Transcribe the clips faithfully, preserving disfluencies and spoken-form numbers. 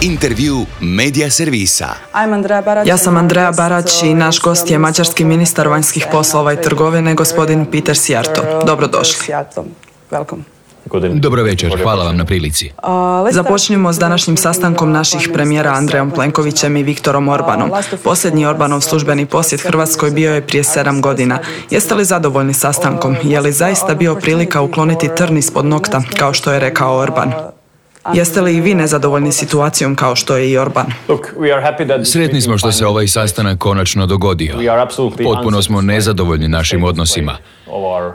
Intervju Medija servisa. Ja sam Andrea Barać i naš gost je mađarski ministar vanjskih poslova i trgovine, gospodin Peter Szijjártó. Dobrodošli. Dobro večer, hvala vam na prilici. Započnimo s današnjim sastankom naših premijera Andrejom Plenkovićem i Viktorom Orbanom. Posljednji Orbanov službeni posjet Hrvatskoj bio je prije sedam godina. Jeste li zadovoljni sastankom? Je li zaista bio prilika ukloniti trn ispod nokta, kao što je rekao Orban? Jeste li i vi nezadovoljni situacijom kao što je i Orban? Sretni smo što se ovaj sastanak konačno dogodio. Potpuno smo nezadovoljni našim odnosima.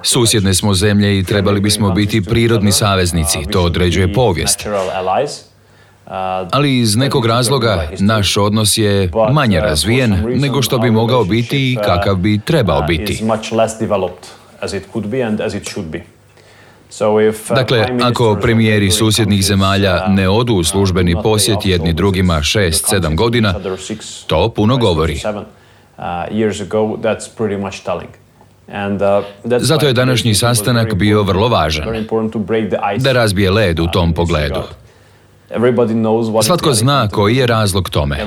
Susjedne smo zemlje i trebali bismo biti prirodni saveznici, to određuje povijest. Ali iz nekog razloga naš odnos je manje razvijen nego što bi mogao biti i kakav bi trebao biti. Dakle, ako premijeri susjednih zemalja ne odu u službeni posjet jedni drugima šest, sedam godina, to puno govori. Zato je današnji sastanak bio vrlo važan, da razbije led u tom pogledu. Svatko zna koji je razlog tome.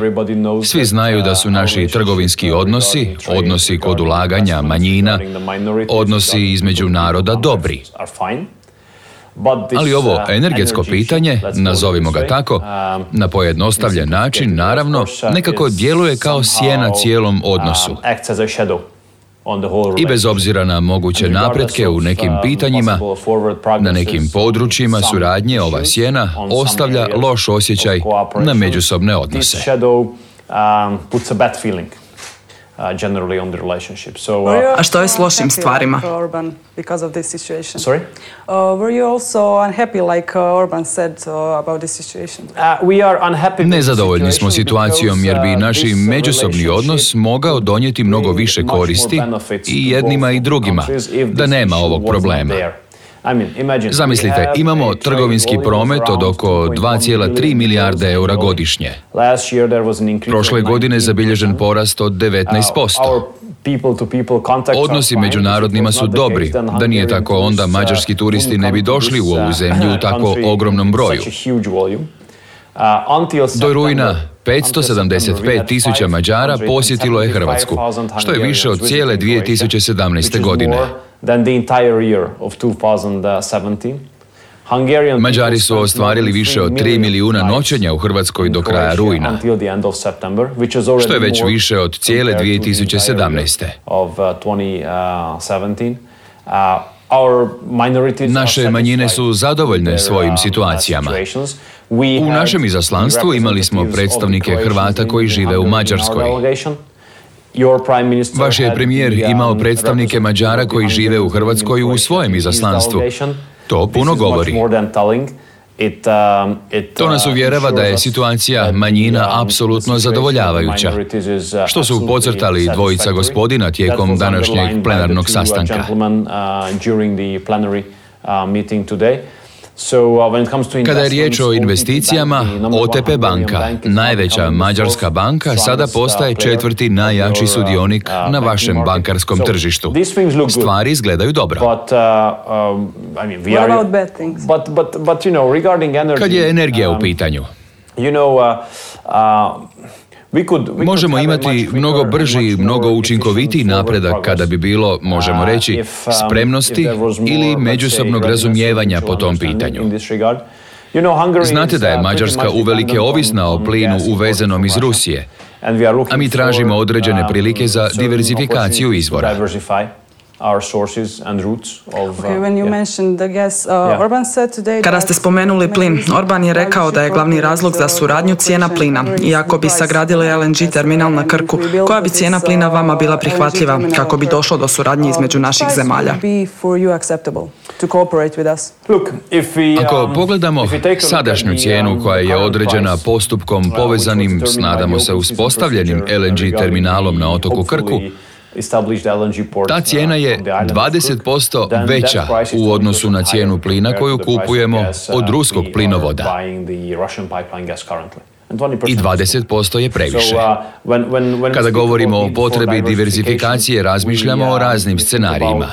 Svi znaju da su naši trgovinski odnosi, odnosi kod ulaganja manjina, odnosi između naroda dobri. Ali ovo energetsko pitanje, nazovimo ga tako, na pojednostavljen način, naravno, nekako djeluje kao sjena cijelom odnosu. I bez obzira na moguće napretke u nekim pitanjima, na nekim područjima suradnje, ova sjena ostavlja loš osjećaj na međusobne odnose. A što je s lošim stvarima? Nezadovoljni smo situacijom jer bi naši međusobni odnos mogao donijeti mnogo više koristi i jednima i drugima, da nema ovog problema. Zamislite, imamo trgovinski promet od oko dva zarez tri milijarde eura godišnje. Prošle godine zabilježen porast od devetnaest posto. Odnosi među narodnima su dobri, da nije tako onda mađarski turisti ne bi došli u ovu zemlju u tako ogromnom broju. Do rujna petsto sedamdeset pet tisuća Mađara posjetilo je Hrvatsku, što je više od cijele dvije tisuće sedamnaeste. godine. Mađari su ostvarili više od tri milijuna noćenja u Hrvatskoj do kraja rujna, što je već više od cijele dvije tisuće sedamnaeste. Naše manjine su zadovoljne svojim situacijama. U našem izaslanstvu imali smo predstavnike Hrvata koji žive u Mađarskoj. Vaš je premijer imao predstavnike Mađara koji žive u Hrvatskoj u svojem izaslanstvu. To puno govori. To nas uvjerava da je situacija manjina apsolutno zadovoljavajuća, što su podcrtali dvojica gospodina tijekom današnjeg plenarnog sastanka. Kada je riječ o investicijama, O T P banka, najveća mađarska banka, sada postaje četvrti najjači sudionik na vašem bankarskom tržištu. Stvari izgledaju dobro. Kad je energija u pitanju, možemo imati mnogo brži i mnogo učinkovitiji napredak kada bi bilo, možemo reći, spremnosti ili međusobnog razumijevanja po tom pitanju. Znate da je Mađarska uvelike ovisna o plinu uvezenom iz Rusije, a mi tražimo određene prilike za diverzifikaciju izvora. Kada ste spomenuli plin, Orban je rekao da je glavni razlog za suradnju cijena plina. I ako bi sagradili L N G terminal na Krku, koja bi cijena plina vama bila prihvatljiva kako bi došlo do suradnje između naših zemalja? Ako pogledamo sadašnju cijenu koja je određena postupkom povezanim s, nadamo se, uspostavljenim L N G terminalom na otoku Krku, ta cijena je dvadeset posto veća u odnosu na cijenu plina koju kupujemo od ruskog plinovoda. I dvadeset posto je previše. Kada govorimo o potrebi diverzifikacije, razmišljamo o raznim scenarijima.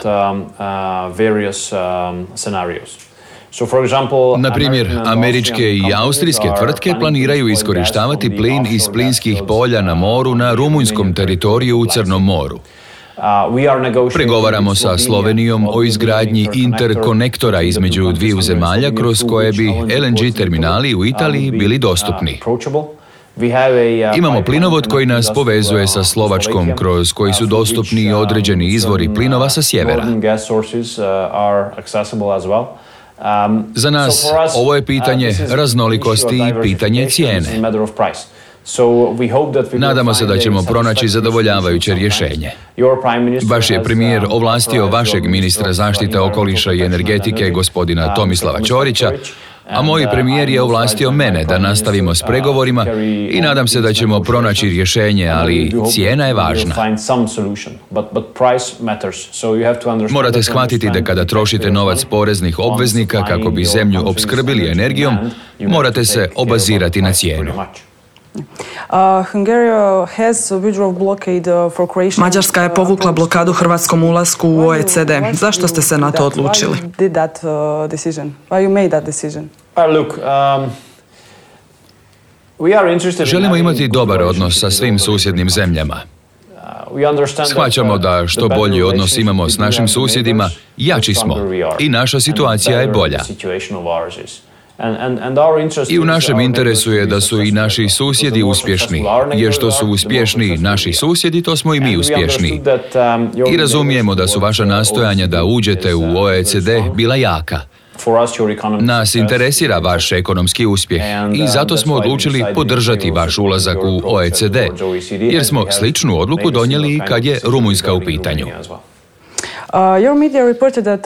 Na primjer, američke i austrijske tvrtke planiraju iskorištavati plin iz plinskih polja na moru na rumunjskom teritoriju u Crnom moru. Pregovaramo sa Slovenijom o izgradnji interkonektora između dviju zemalja kroz koje bi L N G terminali u Italiji bili dostupni. Imamo plinovod koji nas povezuje sa Slovačkom, kroz koji su dostupni određeni izvori plinova sa sjevera. Za nas ovo je pitanje raznolikosti i pitanje cijene. Nadamo se da ćemo pronaći zadovoljavajuće rješenje. Vaš je premijer ovlastio vašeg ministra zaštite okoliša i energetike, gospodina Tomislava Ćorića, a moj premijer je ovlastio mene da nastavimo s pregovorima i nadam se da ćemo pronaći rješenje, ali cijena je važna. Morate shvatiti da kada trošite novac poreznih obveznika kako bi zemlju opskrbili energijom, morate se obazirati na cijenu. Mađarska je povukla blokadu hrvatskom ulasku u O E C D. Zašto ste se na to odlučili? Želimo imati dobar odnos sa svim susjednim zemljama. Shvaćamo da što bolji odnos imamo s našim susjedima, jači smo i naša situacija je bolja. I u našem interesu je da su i naši susjedi uspješni, jer što su uspješni naši susjedi, to smo i mi uspješni. I razumijemo da su vaša nastojanja da uđete u O E C D bila jaka. Nas interesira vaš ekonomski uspjeh i zato smo odlučili podržati vaš ulazak u O E C D, jer smo sličnu odluku donijeli kad je Rumunjska u pitanju.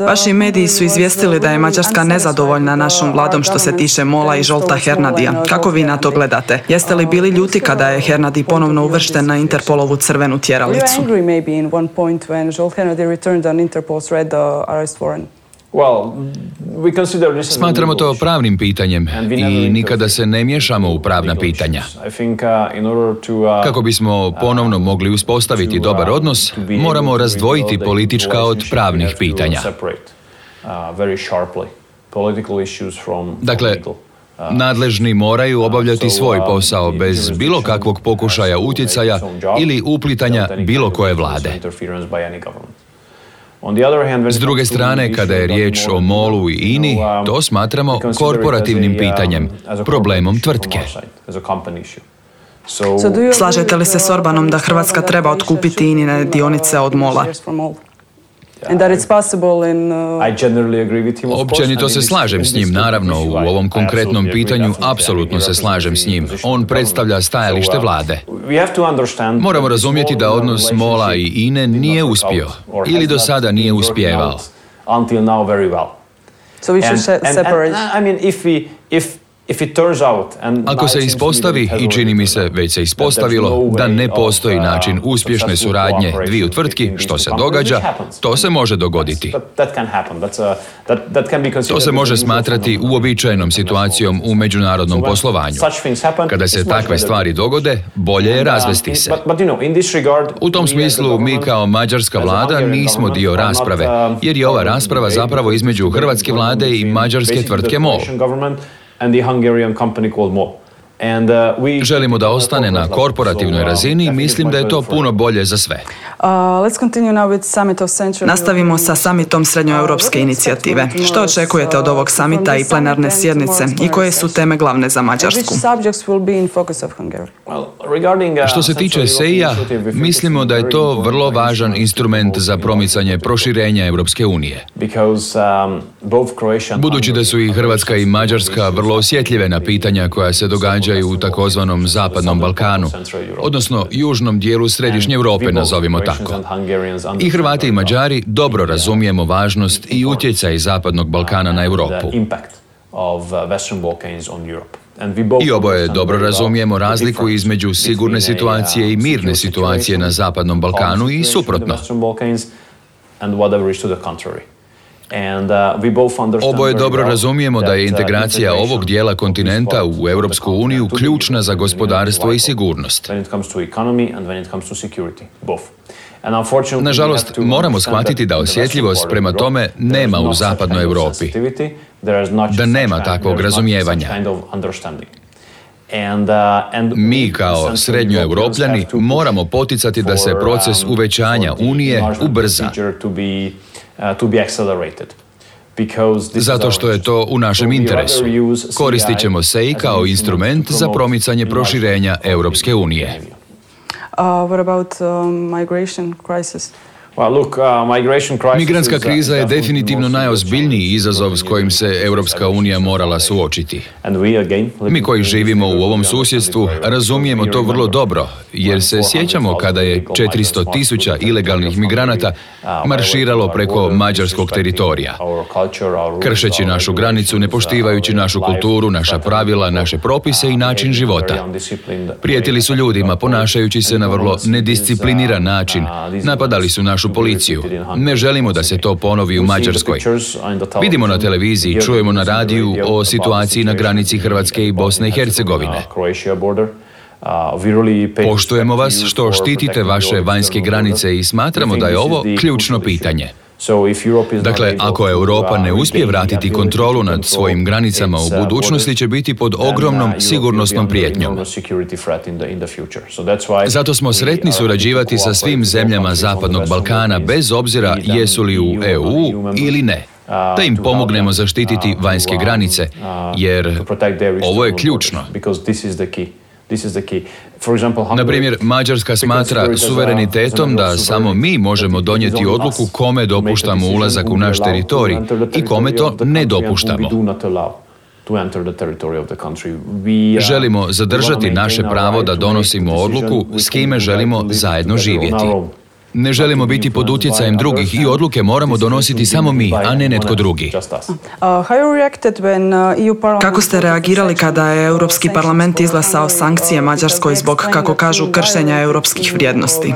Vaši mediji su izvijestili da je Mađarska nezadovoljna našom vladom što se tiče Mola i Zsolta Hernadija. Kako vi na to gledate? Jeste li bili ljuti kada je Hernadi ponovno uvršten na Interpolovu crvenu tjeralicu? Smatramo to pravnim pitanjem i nikada se ne miješamo u pravna pitanja. Kako bismo ponovno mogli uspostaviti dobar odnos, moramo razdvojiti politička od pravnih pitanja. Dakle, nadležni moraju obavljati svoj posao bez bilo kakvog pokušaja utjecaja ili uplitanja bilo koje vlade. S druge strane, kada je riječ o Molu i I N I, to smatramo korporativnim pitanjem, problemom tvrtke. Slažete li se s Orbanom da Hrvatska treba otkupiti I N I-ne dionice od Mola? Općenito se slažem s njim, naravno, u ovom konkretnom pitanju apsolutno se slažem s njim. On predstavlja stajalište vlade. Moramo razumjeti da odnos Mola i I N E nije uspio ili do sada nije uspijevao. Ako se ispostavi, i čini mi se već se ispostavilo, da ne postoji način uspješne suradnje dviju tvrtki, što se događa, to se može dogoditi. To se može smatrati uobičajenom situacijom u međunarodnom poslovanju. Kada se takve stvari dogode, bolje je razvesti se. U tom smislu mi kao mađarska vlada nismo dio rasprave, jer je ova rasprava zapravo između hrvatske vlade i mađarske tvrtke Mol. Želimo da ostane na korporativnoj razini i mislim da je to puno bolje za sve. Nastavimo sa summitom Srednjoeuropske inicijative. Što očekujete od ovog summita i plenarne sjednice i koje su teme glavne za Mađarsku? Što se tiče S E I-a, mislimo da je to vrlo važan instrument za promicanje proširenja Europske unije. Budući da su i Hrvatska i Mađarska vrlo osjetljive na pitanja koja se događaju u takozvanom Zapadnom Balkanu, odnosno južnom dijelu Središnje Europe, nazovimo tako. I Hrvati i Mađari dobro razumijemo važnost i utjecaj Zapadnog Balkana na Europu. I oboje dobro razumijemo razliku između sigurne situacije i mirne situacije na Zapadnom Balkanu i suprotno. Oboje dobro razumijemo da je integracija ovog dijela kontinenta u Europsku uniju ključna za gospodarstvo i sigurnost. Nažalost, moramo shvatiti da osjetljivost prema tome nema u zapadnoj Europi, da nema takvog razumijevanja. Mi kao srednjoeuropljani moramo poticati da se proces uvećanja Unije ubrza, zato što je to u našem interesu. Koristit ćemo S E I kao instrument za promicanje proširenja Europske unije. Uh, what about um, migration crisis? Migrantska kriza je definitivno najozbiljniji izazov s kojim se Europska unija morala suočiti. Mi koji živimo u ovom susjedstvu razumijemo to vrlo dobro, jer se sjećamo kada je četiristo tisuća ilegalnih migranata marširalo preko mađarskog teritorija, kršeći našu granicu, ne poštivajući našu kulturu, naša pravila, naše propise i način života. Prijetili su ljudima ponašajući se na vrlo nediscipliniran način, napadali su našu policiju. Ne želimo da se to ponovi u Mađarskoj. Vidimo na televiziji, čujemo na radiju o situaciji na granici Hrvatske i Bosne i Hercegovine. Poštujemo vas što štitite vaše vanjske granice i smatramo da je ovo ključno pitanje. Dakle, ako Europa ne uspije vratiti kontrolu nad svojim granicama, u budućnosti će biti pod ogromnom sigurnosnom prijetnjom. Zato smo sretni surađivati sa svim zemljama Zapadnog Balkana, bez obzira jesu li u E U ili ne, da im pomognemo zaštititi vanjske granice, jer ovo je ključno. Na primjer, Mađarska smatra suverenitetom da samo mi možemo donijeti odluku kome dopuštamo ulazak u naš teritorij i kome to ne dopuštamo. Želimo zadržati naše pravo da donosimo odluku s kime želimo zajedno živjeti. Ne želimo biti pod utjecajem drugih i odluke moramo donositi samo mi, a ne netko drugi. Kako ste reagirali kada je Europski parlament izglasao sankcije Mađarskoj zbog, kako kažu, kršenja europskih vrijednosti?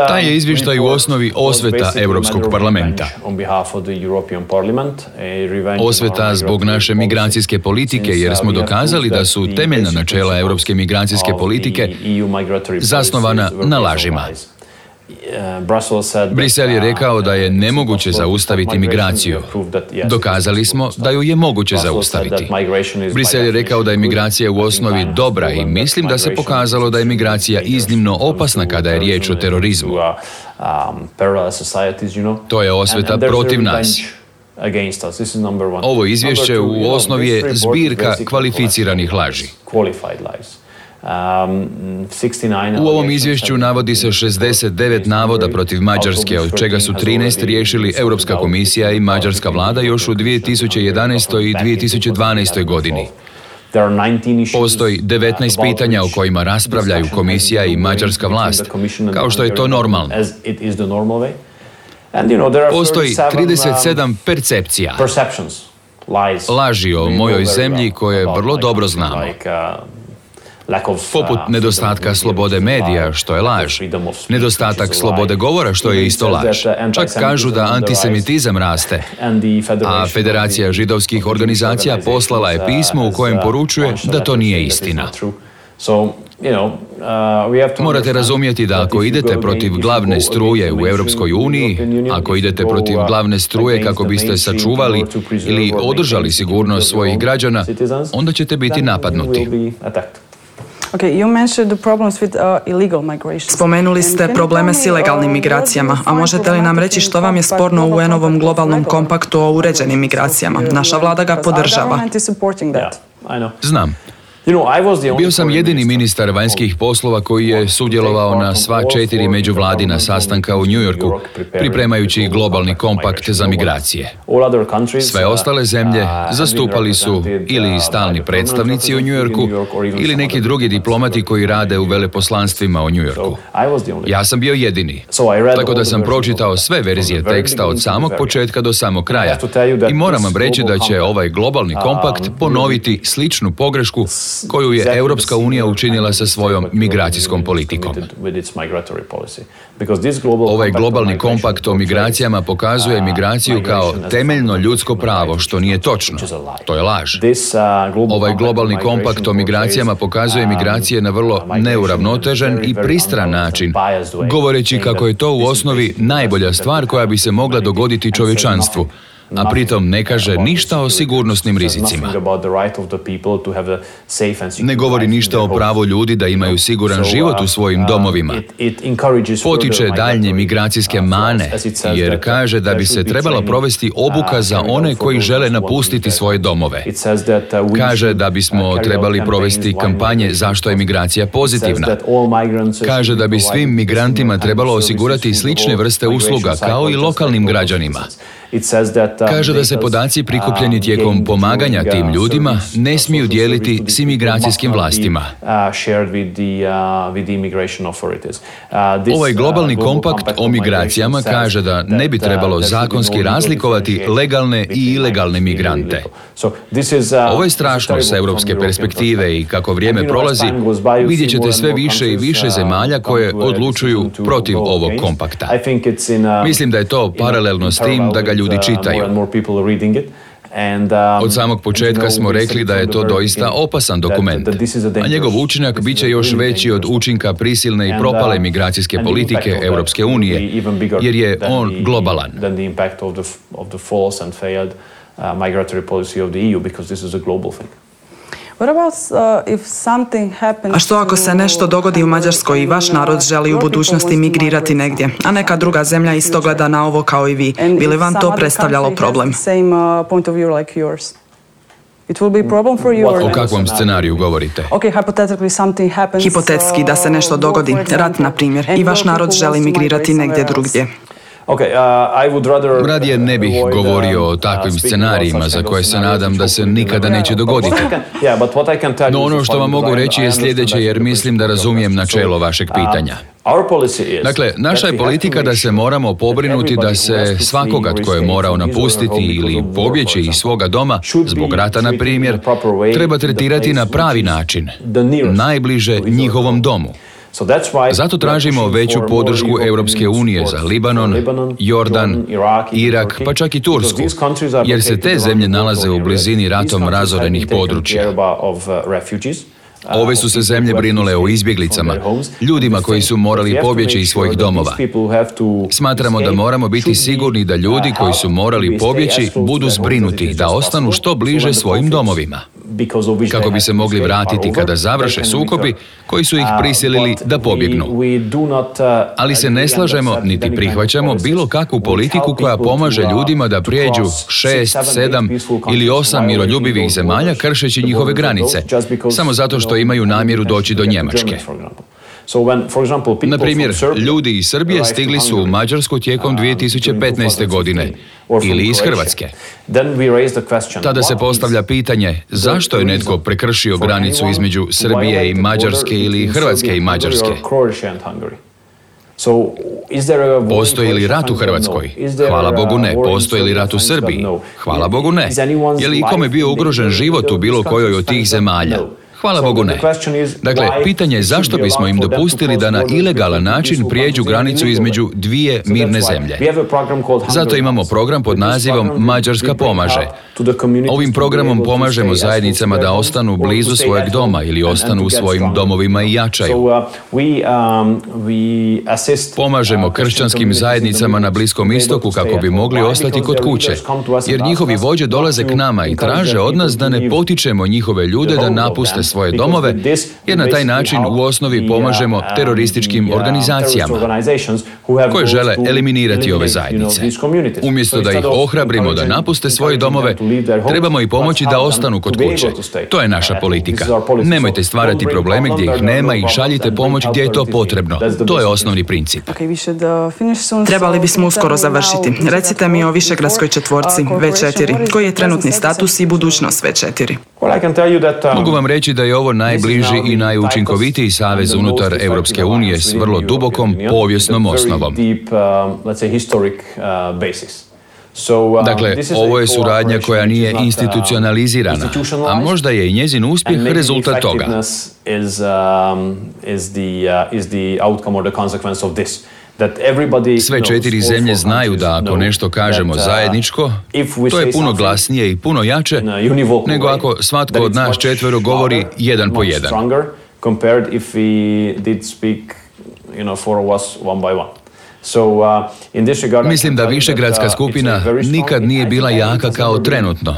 Taj je izvještaj u osnovi osveta Europskog parlamenta. Osveta zbog naše migracijske politike, jer smo dokazali da su temeljna načela europske migracijske politike zasnovana na lažima. Brisel je rekao da je nemoguće zaustaviti migraciju. Dokazali smo da ju je moguće zaustaviti. Brisel je rekao da je migracija u osnovi dobra i mislim da se pokazalo da je migracija iznimno opasna kada je riječ o terorizmu. To je osveta protiv nas. Ovo izvješće u osnovi je zbirka kvalificiranih laži. U ovom izvješću navodi se šezdeset devet navoda protiv Mađarske, od čega su trinaest riješili Europska komisija i mađarska vlada još u dvije tisuće jedanaestoj i dvije tisuće dvanaestoj godini. Postoji devetnaest pitanja o kojima raspravljaju komisija i mađarska vlast, kao što je to normalno. Postoji trideset sedam percepcija, laži o mojoj zemlji koje vrlo dobro znamo. Poput nedostatka slobode medija, što je laž, nedostatak slobode govora, što je isto laž. Čak kažu da antisemitizam raste, a Federacija židovskih organizacija poslala je pismo u kojem poručuje da to nije istina. Morate razumjeti da ako idete protiv glavne struje u Europskoj uniji, ako idete protiv glavne struje kako biste sačuvali ili održali sigurnost svojih građana, onda ćete biti napadnuti. Spomenuli ste probleme s ilegalnim migracijama, a možete li nam reći što vam je sporno u U N-ovom globalnom kompaktu o uređenim migracijama? Naša vlada ga podržava. Znam. Bio sam jedini ministar vanjskih poslova koji je sudjelovao na sva četiri međuvladina sastanka u New Yorku, pripremajući globalni kompakt za migracije. Sve ostale zemlje zastupali su ili stalni predstavnici u New Yorku ili neki drugi diplomati koji rade u veleposlanstvima u New Yorku. Ja sam bio jedini, tako da sam pročitao sve verzije teksta od samog početka do samog kraja i moram vam reći da će ovaj globalni kompakt ponoviti sličnu pogrešku koju je Europska unija učinila sa svojom migracijskom politikom. Ovaj globalni kompakt o migracijama pokazuje migraciju kao temeljno ljudsko pravo, što nije točno. To je laž. Ovaj globalni kompakt o migracijama pokazuje migracije na vrlo neuravnotežen i pristran način, govoreći kako je to u osnovi najbolja stvar koja bi se mogla dogoditi čovječanstvu, a pritom ne kaže ništa o sigurnosnim rizicima. Ne govori ništa o pravu ljudi da imaju siguran život u svojim domovima. Potiče daljnje migracijske mane, jer kaže da bi se trebala provesti obuka za one koji žele napustiti svoje domove. Kaže da bismo trebali provesti kampanje zašto je migracija pozitivna. Kaže da bi svim migrantima trebalo osigurati slične vrste usluga kao i lokalnim građanima. Kaže da se podaci prikupljeni tijekom pomaganja tim ljudima ne smiju dijeliti s imigracijskim vlastima. Ovaj globalni kompakt o migracijama kaže da ne bi trebalo zakonski razlikovati legalne i ilegalne migrante. Ovo je strašno sa europske perspektive i kako vrijeme prolazi, vidjet ćete sve više i više zemalja koje odlučuju protiv ovog kompakta. Mislim da je to paralelno s tim da ga ljudi čitaju. Od samog početka smo rekli da je to doista opasan dokument, a njegov učinak bit će još veći od učinka prisilne i propale migracijske politike Europske unije, jer je on globalan. A što ako se nešto dogodi u Mađarskoj i vaš narod želi u budućnosti migrirati negdje, a neka druga zemlja isto gleda na ovo kao i vi? Bi li vam to predstavljalo problem? O kakvom scenariju govorite? Hipotetski da se nešto dogodi, rat na primjer, i vaš narod želi migrirati negdje drugdje. Radije ne bih govorio o takvim scenarijima za koje se nadam da se nikada neće dogoditi. No ono što vam mogu reći je sljedeće, jer mislim da razumijem načelo vašeg pitanja. Dakle, naša je politika da se moramo pobrinuti da se svakoga tko je morao napustiti ili pobjeći iz svoga doma, zbog rata na primjer, treba tretirati na pravi način, najbliže njihovom domu. Zato tražimo veću podršku Europske unije za Libanon, Jordan, Irak, pa čak i Tursku, jer se te zemlje nalaze u blizini ratom razorenih područja. Ove su se zemlje brinule o izbjeglicama, ljudima koji su morali pobjeći iz svojih domova. Smatramo da moramo biti sigurni da ljudi koji su morali pobjeći budu zbrinuti, da ostanu što bliže svojim domovima, kako bi se mogli vratiti kada završe sukobi koji su ih prisilili da pobjegnu. Ali se ne slažemo niti prihvaćamo bilo kakvu politiku koja pomaže ljudima da prijeđu šest, sedam ili osam miroljubivih zemalja kršeći njihove granice, samo zato što imaju namjeru doći do Njemačke. Na primjer, ljudi iz Srbije stigli su u Mađarsku tijekom dvije tisuće petnaeste. godine ili iz Hrvatske. Tada se postavlja pitanje zašto je netko prekršio granicu između Srbije i Mađarske ili Hrvatske i Mađarske. Postoji li rat u Hrvatskoj? Hvala Bogu ne. Postoji li rat u Srbiji? Hvala Bogu ne. Je li ikome bio ugrožen život u bilo kojoj od tih zemalja? Hvala Bogu ne. Dakle, pitanje je zašto bismo im dopustili da na ilegalan način prijeđu granicu između dvije mirne zemlje. Zato imamo program pod nazivom Mađarska pomaže. Ovim programom pomažemo zajednicama da ostanu blizu svojeg doma ili ostanu u svojim domovima i jačaju. Pomažemo kršćanskim zajednicama na Bliskom istoku kako bi mogli ostati kod kuće, jer njihovi vođe dolaze k nama i traže od nas da ne potičemo njihove ljude da napuste svoje domove, jer na taj način u osnovi pomažemo terorističkim organizacijama koje žele eliminirati ove zajednice. Umjesto da ih ohrabrimo da napuste svoje domove, trebamo i pomoći da ostanu kod kuće. To je naša politika. Nemojte stvarati probleme gdje ih nema i šaljite pomoć gdje je to potrebno. To je osnovni princip. Trebali bismo uskoro završiti. Recite mi o Višegradskoj četvorci V četiri. Koji je trenutni status i budućnost V četiri? Mogu vam reći da je ovo najbliži i najučinkovitiji savez unutar Europske unije s vrlo dubokom povijesnom osnovom. Dakle, ovo je suradnja koja nije institucionalizirana, a možda je i njezin uspjeh rezultat toga. Sve četiri zemlje znaju da ako nešto kažemo zajedničko, to je puno glasnije i puno jače nego ako svatko od nas četvero govori jedan po jedan. Mislim da Višegradska skupina nikad nije bila jaka kao trenutno.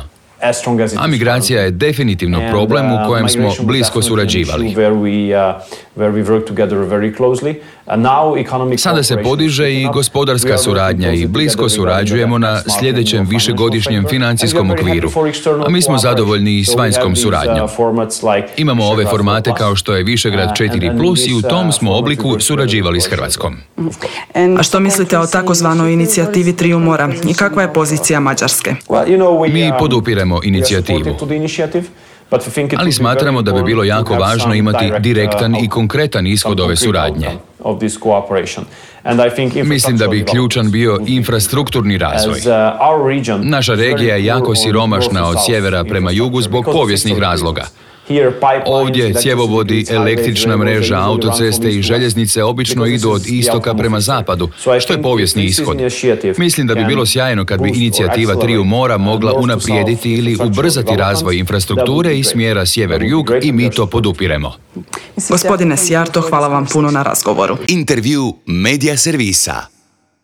A migracija je definitivno problem u kojem smo blisko surađivali. Sada se podiže i gospodarska suradnja i blisko surađujemo na sljedećem višegodišnjem financijskom okviru, a mi smo zadovoljni i s vanjskom suradnjom. Imamo ove formate kao što je Višegrad četiri plus i u tom smo obliku surađivali s Hrvatskom. A što mislite o takozvanoj inicijativi Triju mora i kakva je pozicija Mađarske? Mi podupiremo inicijativu, ali smatramo da bi bilo jako važno imati direktan i konkretan ishod ove suradnje. Mislim da bi ključan bio infrastrukturni razvoj. Naša regija je jako siromašna od sjevera prema jugu zbog povijesnih razloga. Ovdje cjevovodi, električna mreža, autoceste i željeznice obično idu od istoka prema zapadu, što je povijesni ishod. Mislim da bi bilo sjajno kad bi inicijativa Triju mora mogla unaprijediti ili ubrzati razvoj infrastrukture i smjera sjever-jug i mi to podupiremo. Gospodine Sjarto, hvala vam puno na razgovoru. Intervju Media Servisa.